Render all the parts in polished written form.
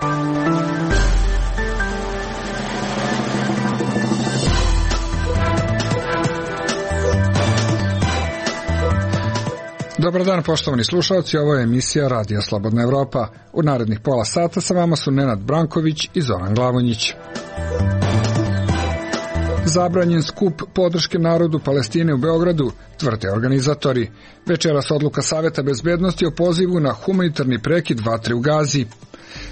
Dobar dan, poštovani slušalci, ovo je emisija Radija Slobodna Evropa. U narednih pola sata sa vama su Nenad Branković i Zoran Glavonjić. Zabranjen skup podrške narodu Palestine u Beogradu, tvrde organizatori. Večeras odluka Saveta bezbednosti o pozivu na humanitarni prekid vatre u Gazi.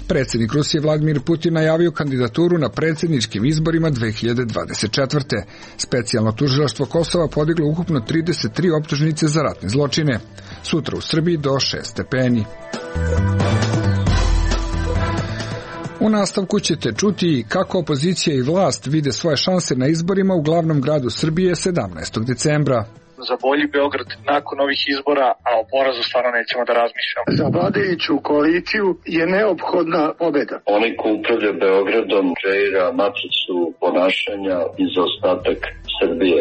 Predsjednik Rusije Vladimir Putin najavio kandidaturu na predsjedničkim izborima 2024. Specijalno tužilaštvo Kosova podiglo ukupno 33 optužnice za ratne zločine. Sutra u Srbiji do 6 stepeni. U nastavku ćete čuti kako opozicija i vlast vide svoje šanse na izborima u glavnom gradu Srbije 17. decembra. Za bolji Beograd nakon ovih izbora, a o porazu stvarno nećemo da razmišljamo. Za vladajuću koaliciju je neophodna pobeda. Oni ko upravlja Beogradom kreira matricu ponašanja i za ostatak Srbije.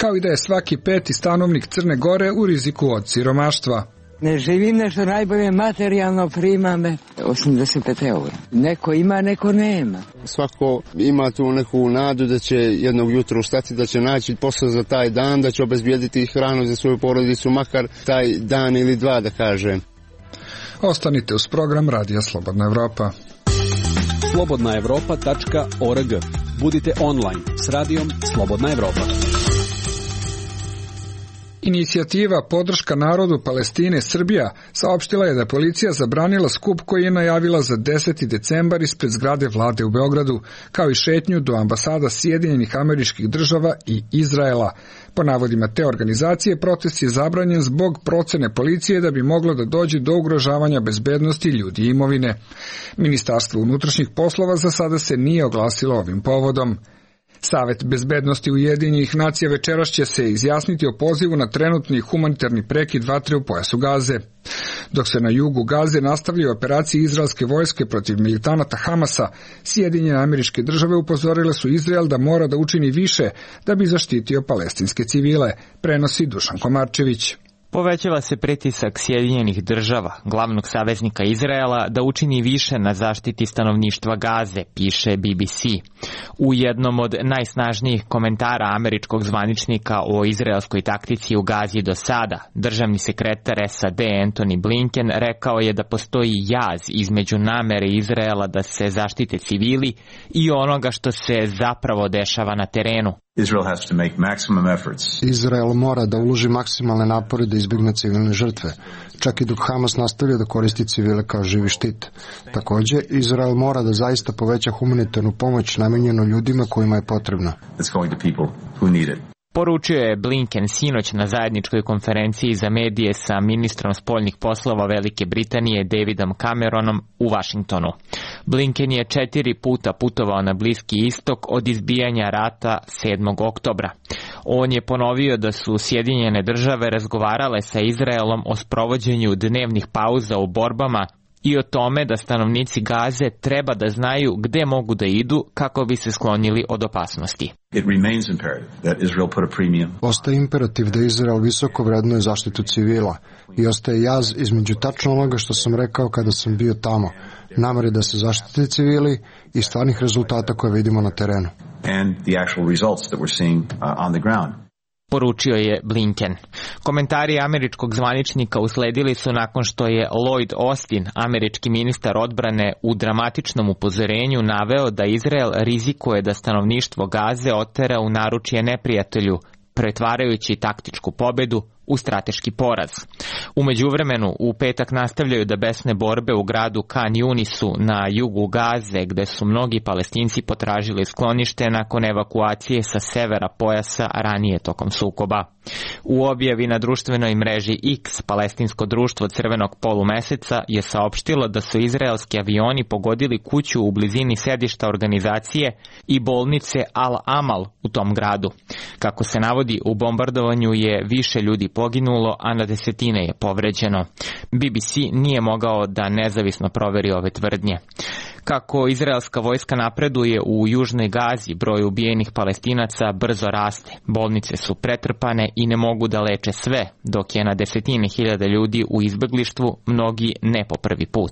Kao i da je svaki peti stanovnik Crne Gore u riziku od siromaštva. Ne živim nešto najbolje, materijalno prima me 85 eura. Neko ima, neko nema. Svako ima tu neku nadu da će jednog jutra ustati, da će naći posao za taj dan, da će obezbijediti hranu za svoju porodicu, makar taj dan ili dva, da kažem. Ostanite uz program Radija Slobodna Evropa. slobodnaevropa.org. Budite online s Radijom Slobodna Evropa. Inicijativa Podrška narodu Palestine Srbija saopštila je da policija zabranila skup koji je najavila za 10. decembar ispred zgrade vlade u Beogradu, kao i šetnju do ambasada Sjedinjenih Američkih Država i Izraela. Po navodima te organizacije, protest je zabranjen zbog procene policije da bi moglo da dođe do ugrožavanja bezbednosti ljudi i imovine. Ministarstvo unutrašnjih poslova za sada se nije oglasilo ovim povodom. Savet bezbednosti Ujedinjenih nacija večeras će se izjasniti o pozivu na trenutni humanitarni prekid vatre u pojasu Gaze. Dok se na jugu Gaze nastavljaju operacije izraelske vojske protiv militanata Hamasa, Sjedinjene Američke Države upozorile su Izrael da mora da učini više da bi zaštitio palestinske civile, prenosi Dušan Komarčević. Povećava se pritisak Sjedinjenih Država, glavnog saveznika Izraela, da učini više na zaštiti stanovništva Gaze, piše BBC. U jednom od najsnažnijih komentara američkog zvaničnika o izraelskoj taktici u Gazi do sada, državni sekretar SAD Antony Blinken rekao je da postoji jaz između namere Izraela da se zaštite civili i onoga što se zapravo dešava na terenu. Izrael mora da uloži maksimalne napore da izbjegne civilne žrtve, čak i dok Hamas nastavlja da koristi civile kao živi štit. Također, Izrael mora da zaista poveća humanitarnu pomoć namenjenu ljudima kojima je potrebna. Poručio je Blinken sinoć na zajedničkoj konferenciji za medije sa ministrom spoljnih poslova Velike Britanije Davidom Cameronom u Vašingtonu. Blinken je 4 puta putovao na Bliski istok od izbijanja rata 7. oktobra. On je ponovio da su Sjedinjene Države razgovarale sa Izraelom o sprovođenju dnevnih pauza u borbama i o tome da stanovnici Gaze treba da znaju gde mogu da idu kako bi se sklonili od opasnosti. Ostaje imperativ da Izrael visoko vrednuje zaštitu civila i ostaje jaz između tačno onoga što sam rekao kada sam bio tamo, namere da se zaštite civili i stvarnih rezultata koje vidimo na terenu. Poručio je Blinken. Komentari američkog zvaničnika usledili su nakon što je Lloyd Austin, američki ministar odbrane, u dramatičnom upozorenju naveo da Izrael rizikuje da stanovništvo Gaze otera u naručje neprijatelju, pretvarajući taktičku pobedu u strateški poraz. U međuvremenu, u petak nastavljaju da besne borbe u gradu Khan Yunisu na jugu Gaze, gde su mnogi Palestinci potražili sklonište nakon evakuacije sa severa pojasa ranije tokom sukoba. U objavi na društvenoj mreži X, palestinsko društvo Crvenog polumeseca je saopštilo da su izraelski avioni pogodili kuću u blizini sedišta organizacije i bolnice Al-Amal u tom gradu. Kako se navodi, u bombardovanju je više ljudi poginulo, a na desetine je povređeno. BBC nije mogao da nezavisno proveri ove tvrdnje. Kako izraelska vojska napreduje u južnoj Gazi, broj ubijenih Palestinaca brzo raste. Bolnice su pretrpane i ne mogu da leče sve, dok je na desetine hiljada ljudi u izbeglištvu, mnogi ne po prvi put.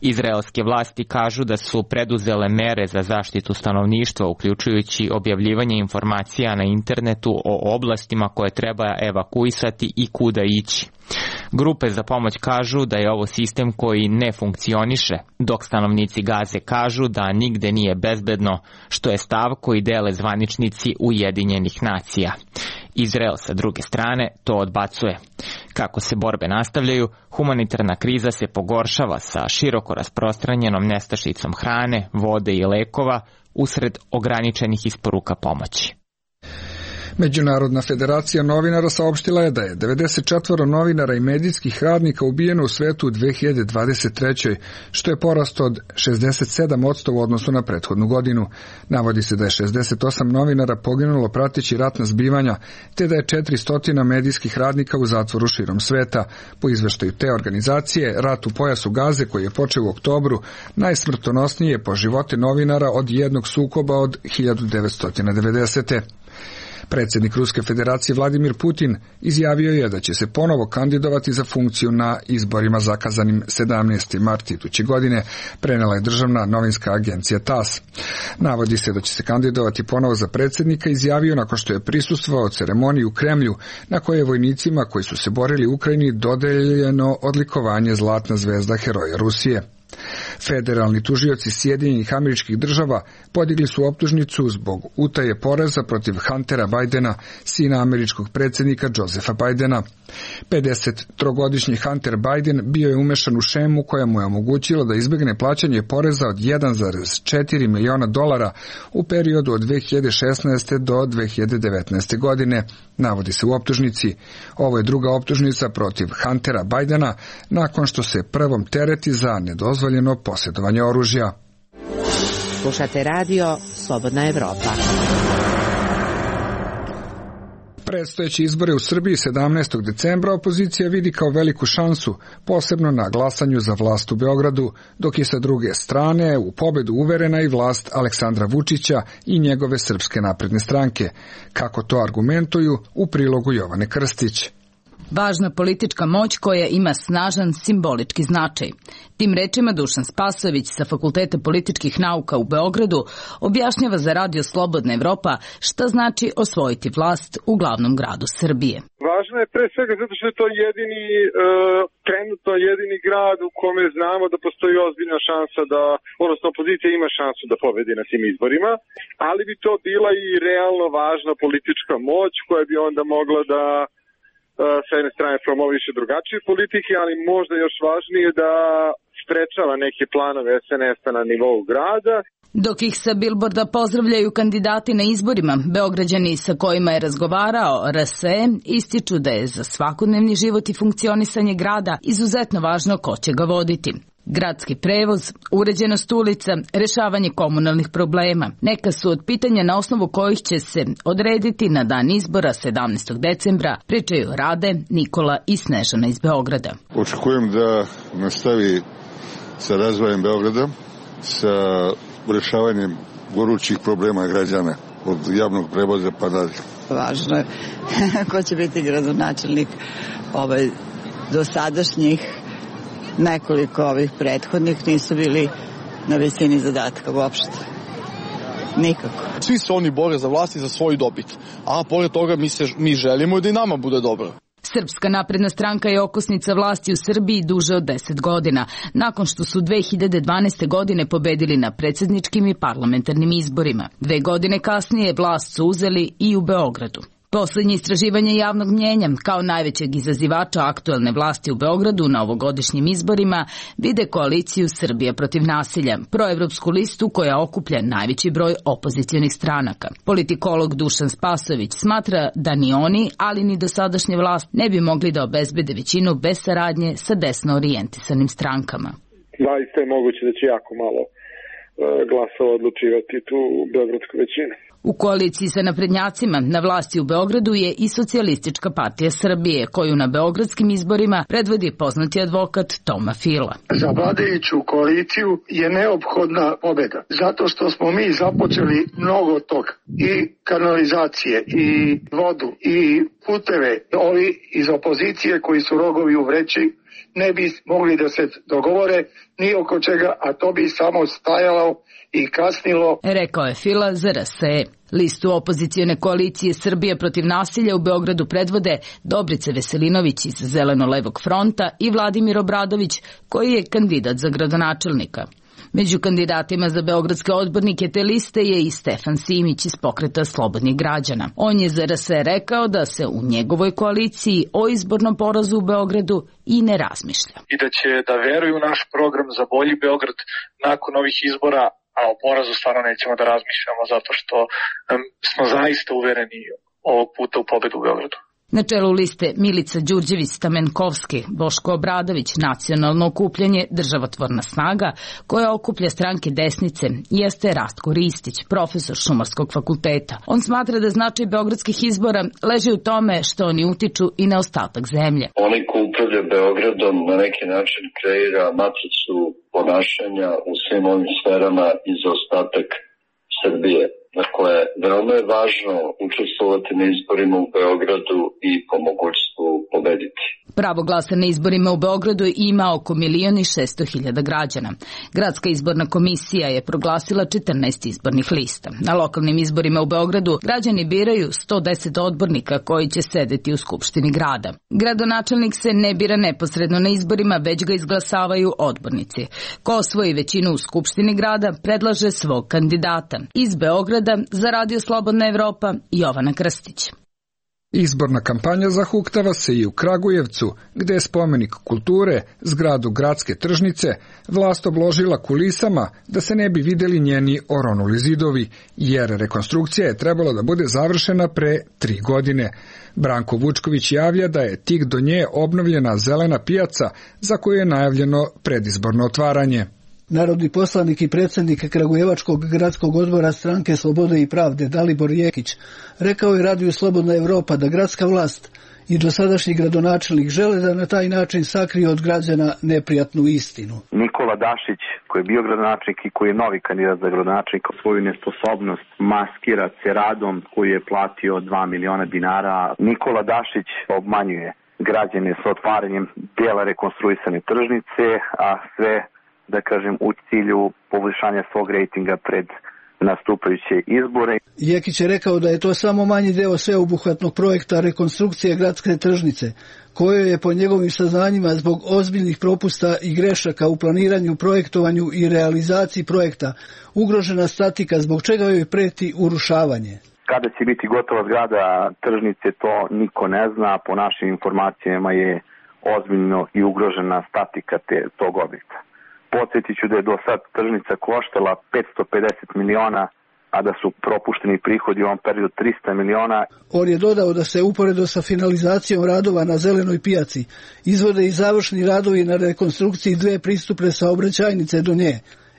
Izraelske vlasti kažu da su preduzele mere za zaštitu stanovništva, uključujući objavljivanje informacija na internetu o oblastima koje treba evakuisati i kuda ići. Grupe za pomoć kažu da je ovo sistem koji ne funkcioniše, dok stanovnici Gaze kažu da nigde nije bezbedno, što je stav koji dele zvaničnici Ujedinjenih nacija. Izrael sa druge strane to odbacuje. Kako se borbe nastavljaju, humanitarna kriza se pogoršava sa široko rasprostranjenom nestašicom hrane, vode i lekova usred ograničenih isporuka pomoći. Međunarodna federacija novinara saopštila je da je 94 novinara i medijskih radnika ubijeno u svetu u 2023. što je porast od 67% u odnosu na prethodnu godinu. Navodi se da je 68 novinara poginulo prateći ratna zbivanja, te da je 400 medijskih radnika u zatvoru širom sveta. Po izveštaju te organizacije, rat u pojasu Gaze koji je počeo u oktobru najsmrtonosniji je po živote novinara od jednog sukoba od 1990. Predsjednik Ruske federacije Vladimir Putin izjavio je da će se ponovo kandidovati za funkciju na izborima zakazanim 17. mart iduće godine, prenela je državna novinska agencija TASS. Navodi se da će se kandidovati ponovo za predsjednika, izjavio nakon što je prisustvovao ceremoniji u Kremlju, na kojoj je vojnicima koji su se borili u Ukrajini dodeljeno odlikovanje Zlatna zvezda heroja Rusije. Federalni tužioci Sjedinjenih Američkih Država podigli su optužnicu zbog utaje poreza protiv Huntera Bidena, sina američkog predsjednika Josepha Bidena. 53-godišnji Hunter Biden bio je umešan u šemu koja mu je omogućila da izbjegne plaćanje poreza od $1,4 miliona u periodu od 2016. do 2019. godine, navodi se u optužnici. Ovo je druga optužnica protiv Huntera Bidena nakon što se prvom tereti za nedozvoljeno posjedovanje oružja. Slušate radio Slobodna Evropa. Predstojeći izbore u Srbiji 17. decembra opozicija vidi kao veliku šansu, posebno na glasanju za vlast u Beogradu, dok je sa druge strane u pobedu uverena i vlast Aleksandra Vučića i njegove Srpske napredne stranke. Kako to argumentuju u prilogu Jovane Krstić. Važna politička moć koja ima snažan simbolički značaj. Tim rečima Dušan Spasojević sa Fakulteta političkih nauka u Beogradu objašnjava za radio Slobodna Evropa šta znači osvojiti vlast u glavnom gradu Srbije. Važno je pre svega zato što je to trenutno jedini grad u kome znamo da postoji ozbiljna šansa odnosno opozicija ima šansu da pobedi na svim izborima, ali bi to bila i realno važna politička moć koja bi onda mogla da sa jedne strane promoviše drugačije politike, ali možda još važnije da sprečava neke planove SNS-a na nivou grada. Dok ih sa bilborda pozdravljaju kandidati na izborima, Beograđani sa kojima je razgovarao RSE ističu da je za svakodnevni život i funkcionisanje grada izuzetno važno ko će ga voditi. Gradski prevoz, uređenost ulica, rešavanje komunalnih problema. Neka su od pitanja na osnovu kojih će se odrediti na dan izbora 17. decembra, pričaju Rade, Nikola i Snežana iz Beograda. Očekujem da nastavi sa razvojem Beograda, sa rešavanjem gorućih problema građana, od javnog prevoza pa dalje. Važno je ko će biti gradonačelnik dosadašnjih. Nekoliko ovih prethodnih nisu bili na visini zadatka uopšte. Nikako. Svi se oni bore za vlast i za svoju dobit, a pored toga mi želimo da i nama bude dobro. Srpska napredna stranka je okosnica vlasti u Srbiji duže od 10 godina, nakon što su 2012. godine pobedili na predsjedničkim i parlamentarnim izborima. 2 godine kasnije vlast su uzeli i u Beogradu. Poslednje istraživanje javnog mnjenja kao najvećeg izazivača aktuelne vlasti u Beogradu na ovogodišnjim izborima vide koaliciju Srbija protiv nasilja, proevropsku listu koja okuplja najveći broj opozicionih stranaka. Politikolog Dušan Spasojević smatra da ni oni, ali ni dosadašnja vlast ne bi mogli da obezbede većinu bez saradnje sa desno orijentisanim strankama. Zaista je moguće da će jako malo glasova odlučivati tu beogradsku većinu. U koaliciji sa naprednjacima na vlasti u Beogradu je i Socijalistička partija Srbije, koju na beogradskim izborima predvodi poznati advokat Toma Fila. Za vladajuću koaliciju je neophodna pobeda, zato što smo mi započeli mnogo toga, i kanalizacije, i vodu, i puteve. Ovi iz opozicije koji su rogovi u vreći ne bi mogli da se dogovore ni oko čega, a to bi samo stajalo i kasnilo. Rekao je Fila za RSE. Listu opozicione koalicije Srbije protiv nasilja u Beogradu predvode Dobrica Veselinović iz Zeleno-levog fronta i Vladimir Obradović, koji je kandidat za gradonačelnika. Među kandidatima za beogradske odbornike te liste je i Stefan Simić iz Pokreta slobodnih građana. On je za RSE rekao da se u njegovoj koaliciji o izbornom porazu u Beogradu i ne razmišlja. I da će da veruju u naš program za bolji Beograd nakon ovih izbora, a o porazu stvarno nećemo da razmišljamo zato što smo zaista uvereni ovog puta u pobedu u Beogradu. Na čelu liste Milica Đurđević-Stamenkovski, Boško Obradović, Nacionalno okupljanje Državotvorna snaga, koja okuplja stranke desnice, jeste Rastko Ristić, profesor Šumarskog fakulteta. On smatra da značaj beogradskih izbora leži u tome što oni utiču i na ostatak zemlje. Oni ko upravlja Beogradom na neki način kreira matricu ponašanja u svim ovim sferama i za ostatak Srbije. Dakle, veoma je važno učestvovati na izborima u Beogradu i po mogućstvu pobediti. Pravo glasa na izborima u Beogradu ima oko 1.600.000 građana. Gradska izborna komisija je proglasila 14 izbornih lista. Na lokalnim izborima u Beogradu građani biraju 110 odbornika koji će sedeti u Skupštini grada. Gradonačelnik se ne bira neposredno na izborima, već ga izglasavaju odbornici. Ko osvoji većinu u Skupštini grada, predlaže svog kandidata. Iz Beograda za Radio Slobodna Evropa, Jovana Krstić. Izborna kampanja zahuktava se i u Kragujevcu, gde je spomenik kulture, zgradu gradske tržnice, vlast obložila kulisama da se ne bi videli njeni oronuli zidovi, jer rekonstrukcija je trebala da bude završena pre 3 godine. Branko Vučković javlja da je tik do nje obnovljena zelena pijaca za koju je najavljeno predizborno otvaranje. Narodni poslanik i predsjednik Kragujevačkog gradskog odbora stranke Slobode i pravde Dalibor Jekić rekao je Radiju Slobodna Evropa da gradska vlast i dosadašnji gradonačelnik žele da na taj način sakriju od građana neprijatnu istinu. Nikola Dašić, koji je bio gradonačelnik i koji je novi kandidat za gradonačelnika, svoju nesposobnost maskira se radom koji je platio 2 miliona dinara. Nikola Dašić obmanjuje građane sa otvaranjem dela rekonstruisane tržnice, a sve da kažem u cilju poboljšanja svog rejtinga pred nastupajuće izbore. Jekić je rekao da je to samo manji deo sveobuhvatnog projekta rekonstrukcije gradske tržnice, kojoj je po njegovim saznanjima zbog ozbiljnih propusta i grešaka u planiranju, projektovanju i realizaciji projekta ugrožena statika, zbog čega joj preti urušavanje. Kada će biti gotova zgrada tržnice, to niko ne zna. Po našim informacijama je ozbiljno i ugrožena statika tog objekta. Podsjetit ću da je do sad tržnica koštala 550 miliona, a da su propušteni prihodi u ovom periodu 300 miliona. On je dodao da se uporedo sa finalizacijom radova na zelenoj pijaci izvode i završni radovi na rekonstrukciji 2 pristupne saobraćajnice do nje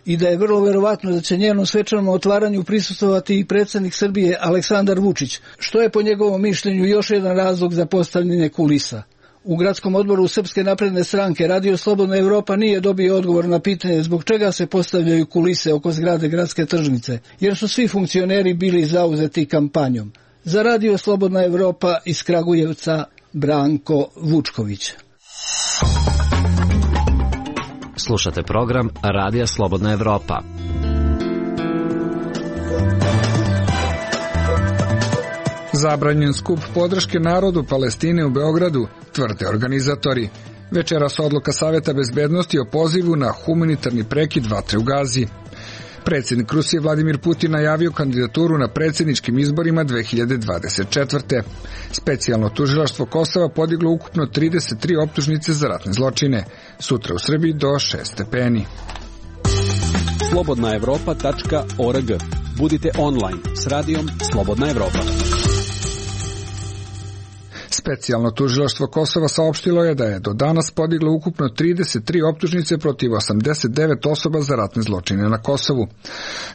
i da je vrlo verovatno da će njenom svečanom otvaranju prisustvovati i predsjednik Srbije Aleksandar Vučić, što je po njegovom mišljenju još jedan razlog za postavljanje kulisa. U gradskom odboru Srpske napredne stranke Radio Slobodna Evropa nije dobio odgovor na pitanje zbog čega se postavljaju kulise oko zgrade gradske tržnice, jer su svi funkcioneri bili zauzeti kampanjom. Za Radio Slobodna Evropa iz Kragujevca, Branko Vučković. Slušate program Radija Slobodna Evropa. Zabranjen skup podrške narodu Palestine u Beogradu, tvrde organizatori. Večeras odluka Saveta bezbednosti o pozivu na humanitarni prekid vatre u Gazi. Predsjednik Rusije Vladimir Putin najavio kandidaturu na predsjedničkim izborima 2024. Specijalno tužilaštvo Kosova podiglo ukupno 33 optužnice za ratne zločine. Sutra u Srbiji do 6 stepeni. slobodnaevropa.org. Budite online s radijom Slobodna Evropa. Specijalno tužilaštvo Kosova saopštilo je da je do danas podiglo ukupno 33 optužnice protiv 89 osoba za ratne zločine na Kosovu.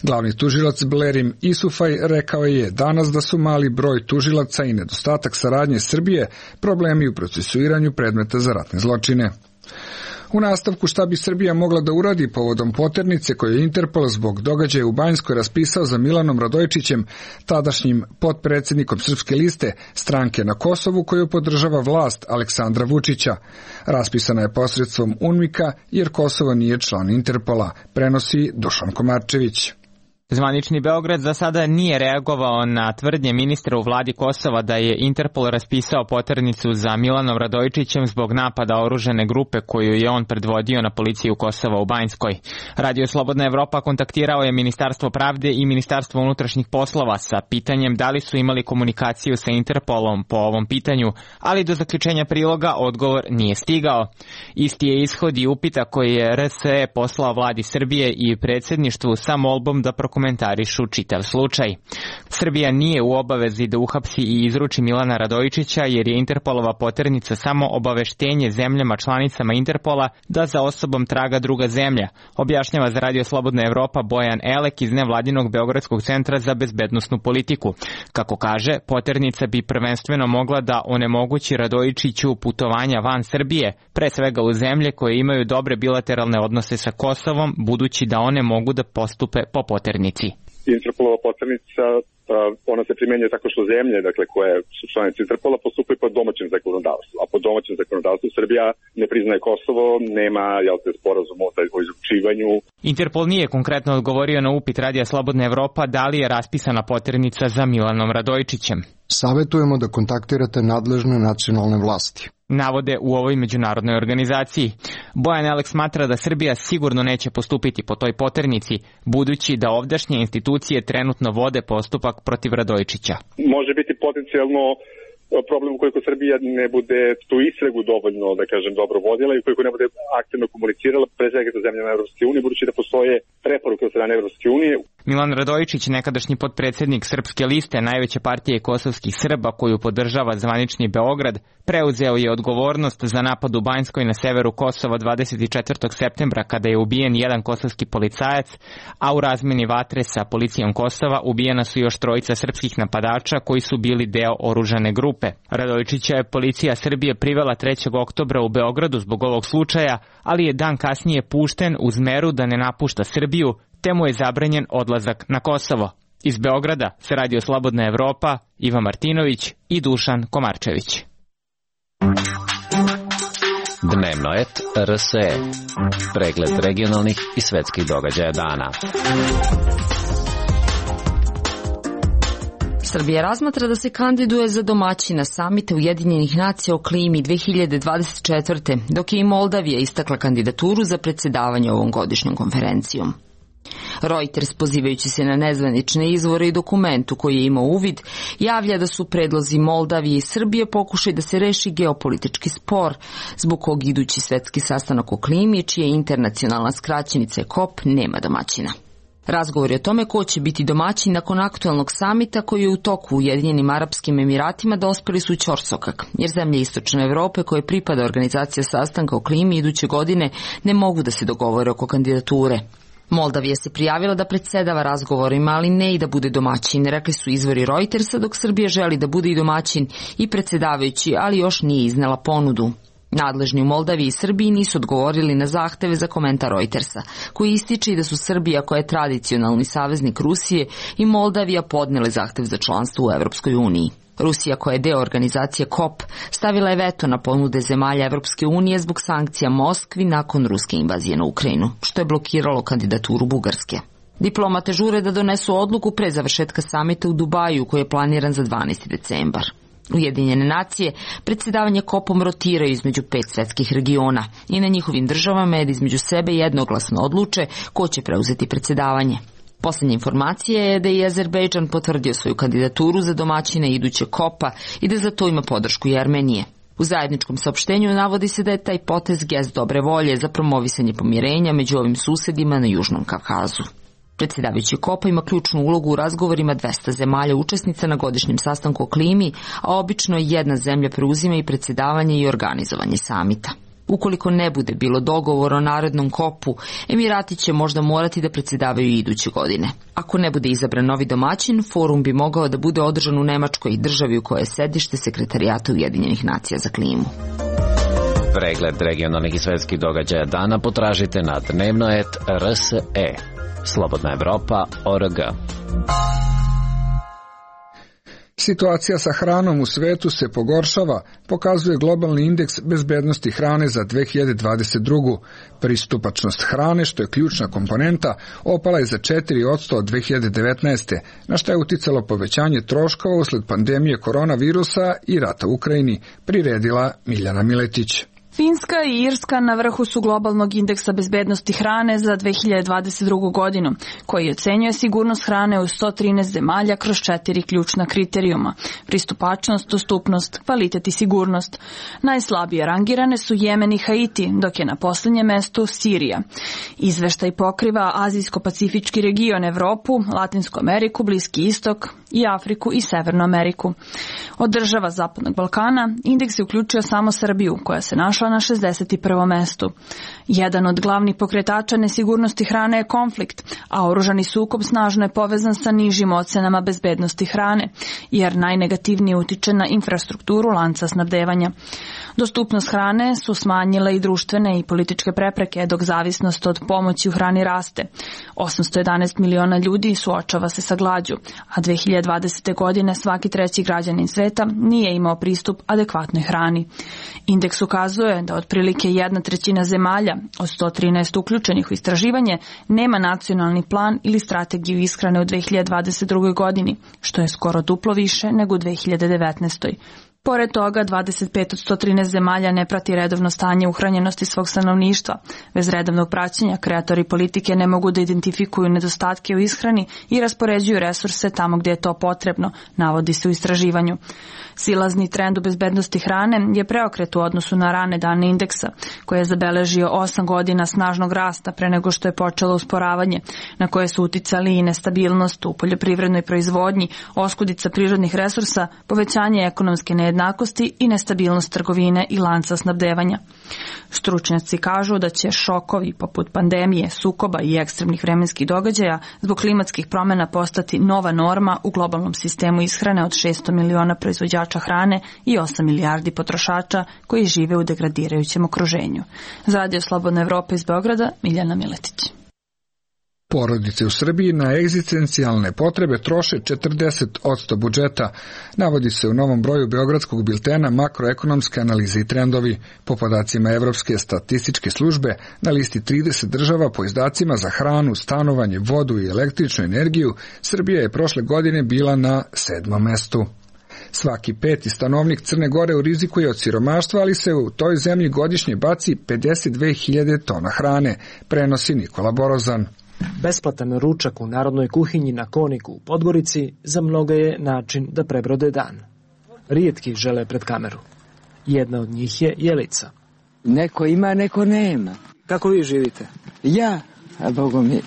Glavni tužilac Blerim Isufaj rekao je danas da su mali broj tužilaca i nedostatak saradnje Srbije problemi u procesuiranju predmeta za ratne zločine. U nastavku šta bi Srbija mogla da uradi povodom poternice koju je Interpol zbog događaja u Banjskoj raspisao za Milanom Radojičićem, tadašnjim potpredsjednikom Srpske liste, stranke na Kosovu koju podržava vlast Aleksandra Vučića. Raspisana je posredstvom UNMIK-a jer Kosovo nije član Interpola, prenosi Dušan Komarčević. Zvanični Beograd za sada nije reagovao na tvrdnje ministra u vladi Kosova da je Interpol raspisao poternicu za Milanom Radojičićem zbog napada oružane grupe koju je on predvodio na policiju Kosova u Banjskoj. Radio Slobodna Evropa kontaktirao je Ministarstvo pravde i Ministarstvo unutrašnjih poslova sa pitanjem da li su imali komunikaciju sa Interpolom po ovom pitanju, ali do zaključenja priloga odgovor nije stigao. Isti je ishod i upita koji je RSE poslao vladi Srbije i predsjedništvu sa molbom da komentarišu čitav slučaj. Srbija nije u obavezi da uhapsi i izruči Milana Radojičića jer je Interpolova poternica samo obaveštenje zemljama članicama Interpola da za osobom traga druga zemlja, objašnjava za Radio Slobodna Evropa Bojan Elek iz nevladinog Beogradskog centra za bezbednosnu politiku. Kako kaže, poternica bi prvenstveno mogla da onemogući Radojičiću putovanja van Srbije, pre svega u zemlje koje imaju dobre bilateralne odnose sa Kosovom, budući da one mogu da postupe po poternici. Interpolova poternica, ona se primenjuje tako što zemlje, dakle, koje su članice Interpola, postupaju po domaćem zakonodavstvu. A po domaćem zakonodavstvu Srbija ne priznaje Kosovo, nema sporazum o izručivanju. Interpol nije konkretno odgovorio na upit Radija Slobodna Evropa da li je raspisana poternica za Milanom Radojičićem. Savetujemo da kontaktirate nadležne nacionalne vlasti, navode u ovoj međunarodnoj organizaciji. Bojan Elek smatra da Srbija sigurno neće postupiti po toj poternici, budući da ovdašnje institucije trenutno vode postupak protiv Radojičića. Može biti potencijalno problem ukoliko Srbija ne bude tu istragu dovoljno, da kažem, dobro vodila i ukoliko ne bude aktivno komunicirala, pre svega sa zemljama Evropske unije, budući da postoje preporuke od strane Evropske unije. Milan Radojičić, nekadašnji potpredsjednik Srpske liste, najveće partije kosovskih Srba koju podržava zvanični Beograd, preuzeo je odgovornost za napad u Banjskoj na severu Kosova 24. septembra kada je ubijen jedan kosovski policajac, a u razmeni vatre sa policijom Kosova ubijena su još trojica srpskih napadača koji su bili deo oružane grupe. Radojičića je policija Srbije privela 3. oktobra u Beogradu zbog ovog slučaja, ali je dan kasnije pušten uz meru da ne napušta Srbiju, te mu je zabranjen odlazak na Kosovo. Iz Beograda sa Radio Slobodna Evropa, Iva Martinović i Dušan Komarčević. Dnevnoet RSE. Pregled regionalnih i svetskih događaja dana. Srbija razmatra da se kandiduje za domaćina samita Ujedinjenih nacija o klimi 2024. dok je i Moldavija istakla kandidaturu za predsjedavanje ovom godišnjom konferencijom. Reuters, pozivajući se na nezvanične izvore i dokumentu koji je imao uvid, javlja da su predlozi Moldavije i Srbije pokušaj da se reši geopolitički spor, zbog kog idući svetski sastanak o klimi, čija internacionalna skraćenica je COP, nema domaćina. Razgovori o tome ko će biti domaćin nakon aktualnog samita koji je u toku u Ujedinjenim Arapskim Emiratima dospeli su u ćorsokak, jer zemlje Istočne Evrope koje pripada organizacija sastanka o klimi iduće godine ne mogu da se dogovore oko kandidature. Moldavija se prijavila da predsjedava razgovorima, ali ne i da bude domaćin, rekli su izvori Reutersa, dok Srbija želi da bude i domaćin i predsjedavajući, ali još nije iznela ponudu. Nadležni u Moldaviji i Srbiji nisu odgovorili na zahteve za komentar Reutersa, koji ističe da su Srbija, koja je tradicionalni saveznik Rusije, i Moldavija podnele zahtev za članstvo u Evropskoj uniji. Rusija, koja je deo organizacije COP, stavila je veto na ponude zemalja Evropske unije zbog sankcija Moskvi nakon ruske invazije na Ukrajinu, što je blokiralo kandidaturu Bugarske. Diplomate žure da donesu odluku pre završetka samita u Dubaju, koji je planiran za 12. decembar. Ujedinjene nacije predsjedavanje COP-om rotiraju između 5 svetskih regiona i na njihovim državama je da između sebe jednoglasno odluče ko će preuzeti predsjedavanje. Posljednja informacija je da je Azerbejdžan potvrdio svoju kandidaturu za domaćina iduće COP-a i da za to ima podršku i Armenije. U zajedničkom saopštenju navodi se da je taj potez gest dobre volje za promovisanje pomirenja među ovim susedima na Južnom Kavkazu. Predsjedavajući COP-a ima ključnu ulogu u razgovorima 200 zemalja učesnica na godišnjem sastanku o klimi, a obično jedna zemlja preuzima i predsjedavanje i organizovanje samita. Ukoliko ne bude bilo dogovora o narednom COP-u, Emirati će možda morati da predsjedavaju i iduće godine. Ako ne bude izabran novi domaćin, forum bi mogao da bude održan u Nemačkoj, državi u kojoj je sedište Sekretarijata Ujedinjenih nacija za klimu. Pregled regionalnih i svetskih događaja dana potražite na dnevnoet.rse. Slobodna Evropa.org. Situacija sa hranom u svetu se pogoršava, pokazuje globalni indeks bezbednosti hrane za 2022. Pristupačnost hrane, što je ključna komponenta, opala je za 4% od 2019. na što je uticalo povećanje troškova usled pandemije koronavirusa i rata u Ukrajini, priredila Miljana Miletić. Finska i Irska na vrhu su globalnog indeksa bezbednosti hrane za 2022. godinu, koji ocenjuje sigurnost hrane u 113 zemalja kroz 4 ključna kriterijuma: pristupačnost, dostupnost, kvalitet i sigurnost. Najslabije rangirane su Jemen i Haiti, dok je na posljednjem mestu Sirija. Izveštaj pokriva Azijsko-pacifički region, Evropu, Latinsku Ameriku, Bliski istok i Afriku i Severnu Ameriku. Od država Zapadnog Balkana indeks je uključio samo Srbiju, koja se našla na 61. mestu. Jedan od glavnih pokretača nesigurnosti hrane je konflikt, a oružani sukob snažno je povezan sa nižim ocenama bezbednosti hrane, jer najnegativnije utiče na infrastrukturu lanca snabdevanja. Dostupnost hrane su smanjile i društvene i političke prepreke, dok zavisnost od pomoći u hrani raste. 811 miliona ljudi suočava se sa glađu, a 2020. godine svaki treći građanin sveta nije imao pristup adekvatnoj hrani. Indeks ukazuje da otprilike 1/3 zemalja od 113 uključenih u istraživanje nema nacionalni plan ili strategiju ishrane u 2022. godini, što je skoro duplo više nego u 2019. Pored toga, 25 od 113 zemalja ne prati redovno stanje uhranjenosti svog stanovništva. Bez redovnog praćenja kreatori politike ne mogu da identifikuju nedostatke u ishrani i raspoređuju resurse tamo gdje je to potrebno, navodi se u istraživanju. Silazni trend u bezbednosti hrane je preokret u odnosu na rane dane indeksa, koji je zabeležio 8 godina snažnog rasta pre nego što je počelo usporavanje, na koje su uticali i nestabilnost u poljoprivrednoj proizvodnji, oskudica prirodnih resursa, povećanje ekonomske nejednakosti i nestabilnost trgovine i lanca snabdevanja. Stručnjaci kažu da će šokovi poput pandemije, sukoba i ekstremnih vremenskih događaja zbog klimatskih promjena postati nova norma u globalnom sistemu ishrane od 600 miliona proizvođača hrane i 8 milijardi potrošača koji žive u degradirajućem okruženju. Za Radio Slobodna Evropa iz Beograda, Miljana Miletić. Porodice u Srbiji na egzistencijalne potrebe troše 40% budžeta, navodi se u novom broju Beogradskog biltena Makroekonomske analize i trendovi. Po podacima Evropske statističke službe, na listi 30 država po izdacima za hranu, stanovanje, vodu i električnu energiju, Srbija je prošle godine bila na 7. mestu. Svaki 5. stanovnik Crne Gore u riziku je od siromaštva, ali se u toj zemlji godišnje baci 52.000 tona hrane, prenosi Nikola Borozan. Besplatan ručak u narodnoj kuhinji na Koniku u Podgorici za mnoga je način da prebrode dan. Rijetki žele pred kameru. Jedna od njih je Jelica. Neko ima, neko nema. Kako vi živite? Ja, a Bogu mi,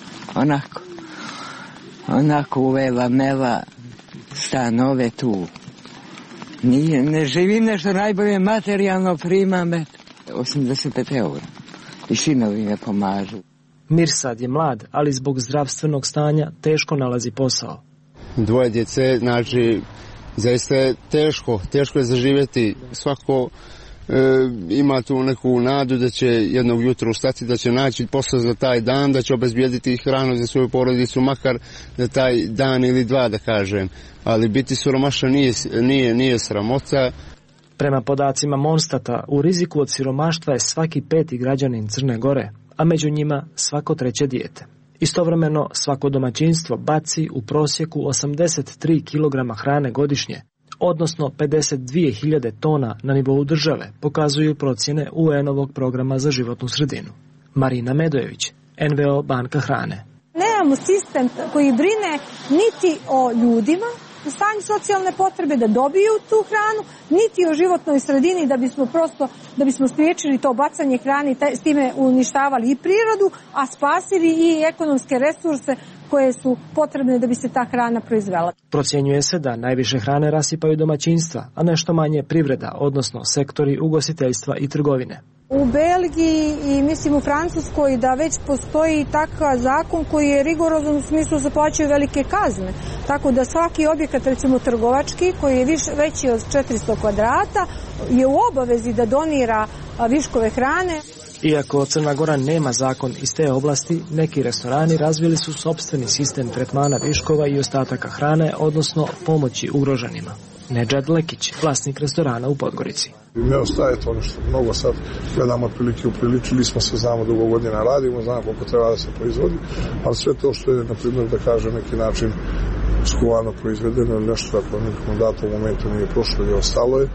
onako uvela mela stanove tu. Ne živim nešto najbolje, materijalno primam 85 eura. I sinovi me pomažu. Mirsad je mlad, ali zbog zdravstvenog stanja teško nalazi posao. 2 djece, znači, zaista je teško je zaživjeti. Svako ima tu neku nadu da će jednog jutra ustati, da će naći posao za taj dan, da će obezbijediti hranu za svoju porodicu, makar za taj dan ili 2, da kažem. Ali biti siromašan nije sramota. Prema podacima Monstata, u riziku od siromaštva je svaki 5. građanin Crne Gore, a među njima svako 3. dijete. Istovremeno, svako domaćinstvo baci u prosjeku 83 kg hrane godišnje, odnosno 52.000 tona na nivou države, pokazuju procjene UN-ovog programa za životnu sredinu. Marina Medojević, NVO Banka hrane. Nemamo sistem koji brine niti o ljudima, stanju socijalne potrebe da dobiju tu hranu, niti o životnoj sredini da bismo spriječili to bacanje hrane i s time uništavali i prirodu, a spasili i ekonomske resurse koje su potrebne da bi se ta hrana proizvela. Procjenjuje se da najviše hrane rasipaju domaćinstva, a nešto manje privreda, odnosno sektori ugostiteljstva i trgovine. U Belgiji i mislim u Francuskoj da već postoji takav zakon koji je rigorozan u smislu se plaćaju velike kazne. Tako da svaki objekat, recimo trgovački, koji je veći od 400 kvadrata, je u obavezi da donira viškove hrane. Iako Crna Gora nema zakon iz te oblasti, neki restorani razvili su sopstveni sistem tretmana viškova i ostataka hrane, odnosno pomoći ugroženima. Nedžad Lekić, vlasnik restorana u Podgorici. Ne ostaje to nešto mnogo, sad gledamo otprilike, upriličili smo se, znamo dugo godina radimo, znamo koliko treba da se proizvodi, ali sve to što je, na primjer, da kažem, neki način skuvano proizvedeno ili nešto ako nekom datom momentu nije prošlo i ostalo je,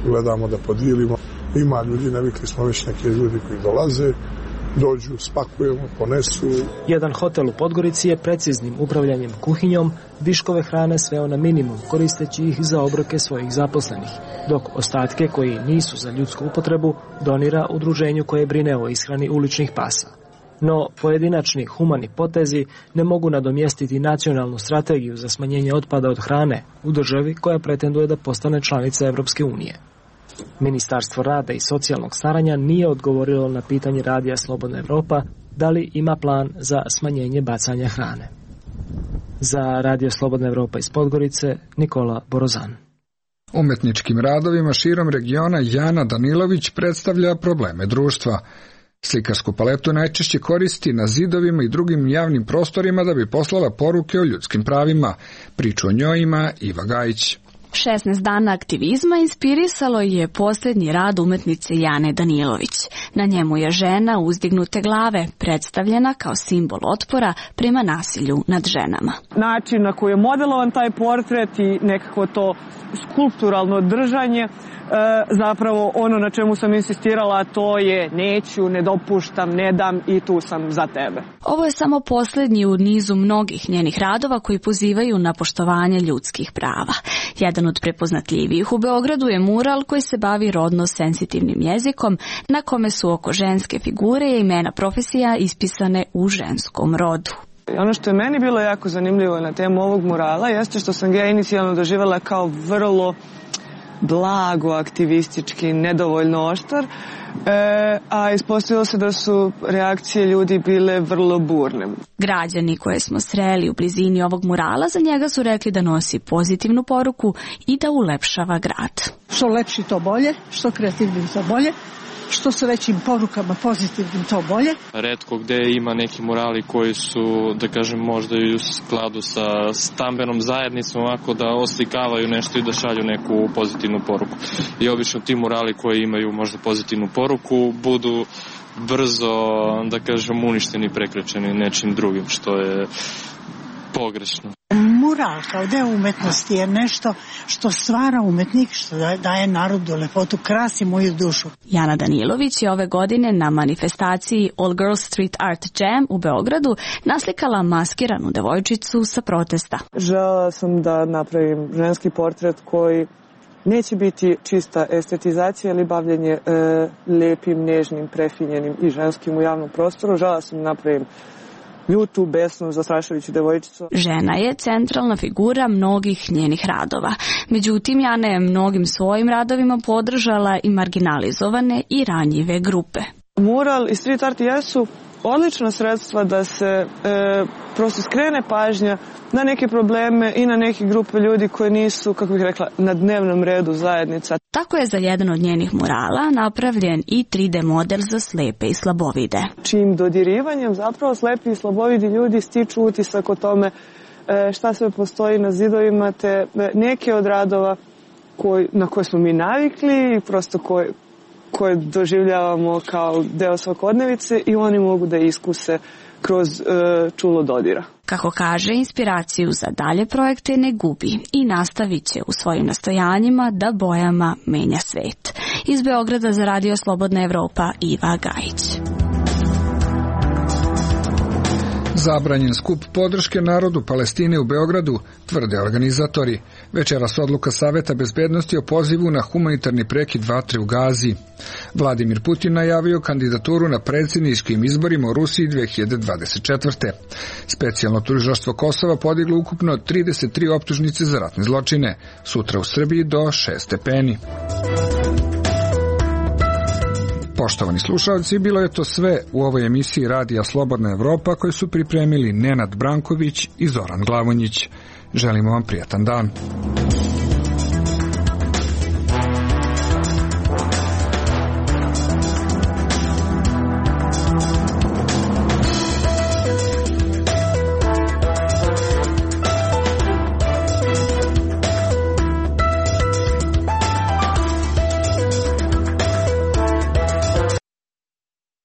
gledamo da podijelimo. Ima ljudi, navikli smo već neke ljudi koji dolaze, dođu, spakujemo, ponesu. Jedan hotel u Podgorici je preciznim upravljanjem kuhinjom viškove hrane sveo na minimum, koristeći ih za obroke svojih zaposlenih, dok ostatke koji nisu za ljudsku upotrebu donira udruženju koje brine o ishrani uličnih pasa. No, pojedinačni humani potezi ne mogu nadomjestiti nacionalnu strategiju za smanjenje otpada od hrane u državi koja pretenduje da postane članica Evropske unije. Ministarstvo rada i socijalnog staranja nije odgovorilo na pitanje Radija Slobodna Evropa da li ima plan za smanjenje bacanja hrane. Za Radio Slobodna Evropa iz Podgorice, Nikola Borozan. Umetničkim radovima širom regiona Jana Danilović predstavlja probleme društva. Slikarsku paletu najčešće koristi na zidovima i drugim javnim prostorima da bi poslala poruke o ljudskim pravima. Priču o njoj ima Iva Gajić. 16 dana aktivizma inspirisalo je posljednji rad umetnice Jane Danilović. Na njemu je žena uzdignute glave, predstavljena kao simbol otpora prema nasilju nad ženama. Način na koji je modelovan taj portret i nekako to skulpturalno držanje, zapravo ono na čemu sam insistirala, to je neću, ne dopuštam, ne dam i tu sam za tebe. Ovo je samo posljednji u nizu mnogih njenih radova koji pozivaju na poštovanje ljudskih prava. Jedan od prepoznatljivijih u Beogradu je mural koji se bavi rodno senzitivnim jezikom, na kome su oko ženske figure i imena profesija ispisane u ženskom rodu. Ono što je meni bilo jako zanimljivo na temu ovog murala jeste što sam ga inicijalno doživjela kao vrlo blago, aktivistički, nedovoljno oštar, a ispostavilo se da su reakcije ljudi bile vrlo burne. Građani koje smo sreli u blizini ovog murala za njega su rekli da nosi pozitivnu poruku i da ulepšava grad. Što lepši to bolje, što kreativnim to bolje, što sa većim porukama pozitivnim to bolje. Retko gde ima neki murali koji su, da kažem, možda i u skladu sa stambenom zajednicom, ovako da oslikavaju nešto i da šalju neku pozitivnu poruku. I obično ti murali koji imaju možda pozitivnu poruku budu brzo, da kažem, uništeni, prekrečeni nečim drugim, što je pogrešno. Mural kao deo umetnosti je nešto što stvara umetnik, što daje narodu lepotu, krasi moju dušu. Jana Danilović je ove godine na manifestaciji All Girls Street Art Jam u Beogradu naslikala maskiranu devojčicu sa protesta. Želela sam da napravim ženski portret koji neće biti čista estetizacija ili bavljenje lepim, nežnim, prefinjenim i ženskim u javnom prostoru. Želela sam da napravim ljutu, besnu, zastrašujuću devojčicu. Žena je centralna figura mnogih njenih radova. Međutim, Jana je mnogim svojim radovima podržala i marginalizovane i ranjive grupe. Mural i street art jesu odlična sredstva da se prosto skrene pažnja na neke probleme i na neke grupe ljudi koje nisu, kako bih rekla, na dnevnom redu zajednica. Tako je za jedan od njenih murala napravljen i 3D model za slepe i slabovide. Čim dodirivanjem zapravo slepi i slabovidi ljudi stiču utisak o tome šta sve postoji na zidovima, te neke od radova na koje smo mi navikli i prosto koje doživljavamo kao deo svakodnevice i oni mogu da iskuse kroz čulo dodira. Kako kaže, inspiraciju za dalje projekte ne gubi i nastavit će u svojim nastojanjima da bojama menja svet. Iz Beograda za Radio Slobodna Evropa, Iva Gajić. Zabranjen skup podrške narodu Palestine u Beogradu, tvrde organizatori. Večeras odluka Saveta bezbednosti o pozivu na humanitarni prekid vatre u Gazi. Vladimir Putin najavio kandidaturu na predsjedničkim izborima u Rusiji 2024. Specijalno tužilaštvo Kosova podiglo ukupno 33 optužnice za ratne zločine. Sutra u Srbiji do 6 stepeni. Poštovani slušalci, bilo je to sve u ovoj emisiji Radija Slobodna Evropa koju su pripremili Nenad Branković i Zoran Glavonjić. Želimo vam prijatan dan.